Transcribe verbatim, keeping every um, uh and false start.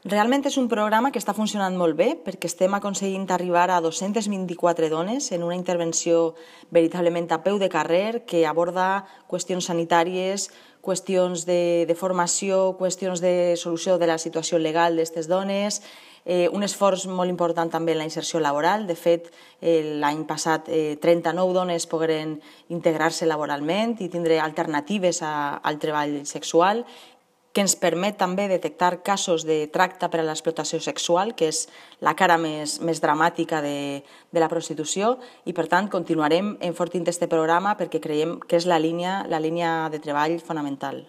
Realment és un programa que està funcionant molt bé perquè estem aconseguint arribar a dos-centes vint-i-quatre dones en una intervenció veritablement a peu de carrer que aborda qüestions sanitàries, qüestions de, de formació, qüestions de solució de la situació legal d'aquestes dones, eh, un esforç molt important també en la inserció laboral. De fet, eh, l'any passat eh, trenta-nou dones pogueren integrar-se laboralment i tindre alternatives a, al treball sexual, que ens permet també detectar casos de tracte per a l'explotació sexual, que és la cara més, més dramàtica de, de la prostitució, i per tant continuarem enfortint aquest programa perquè creiem que és la línia, la línia de treball fonamental.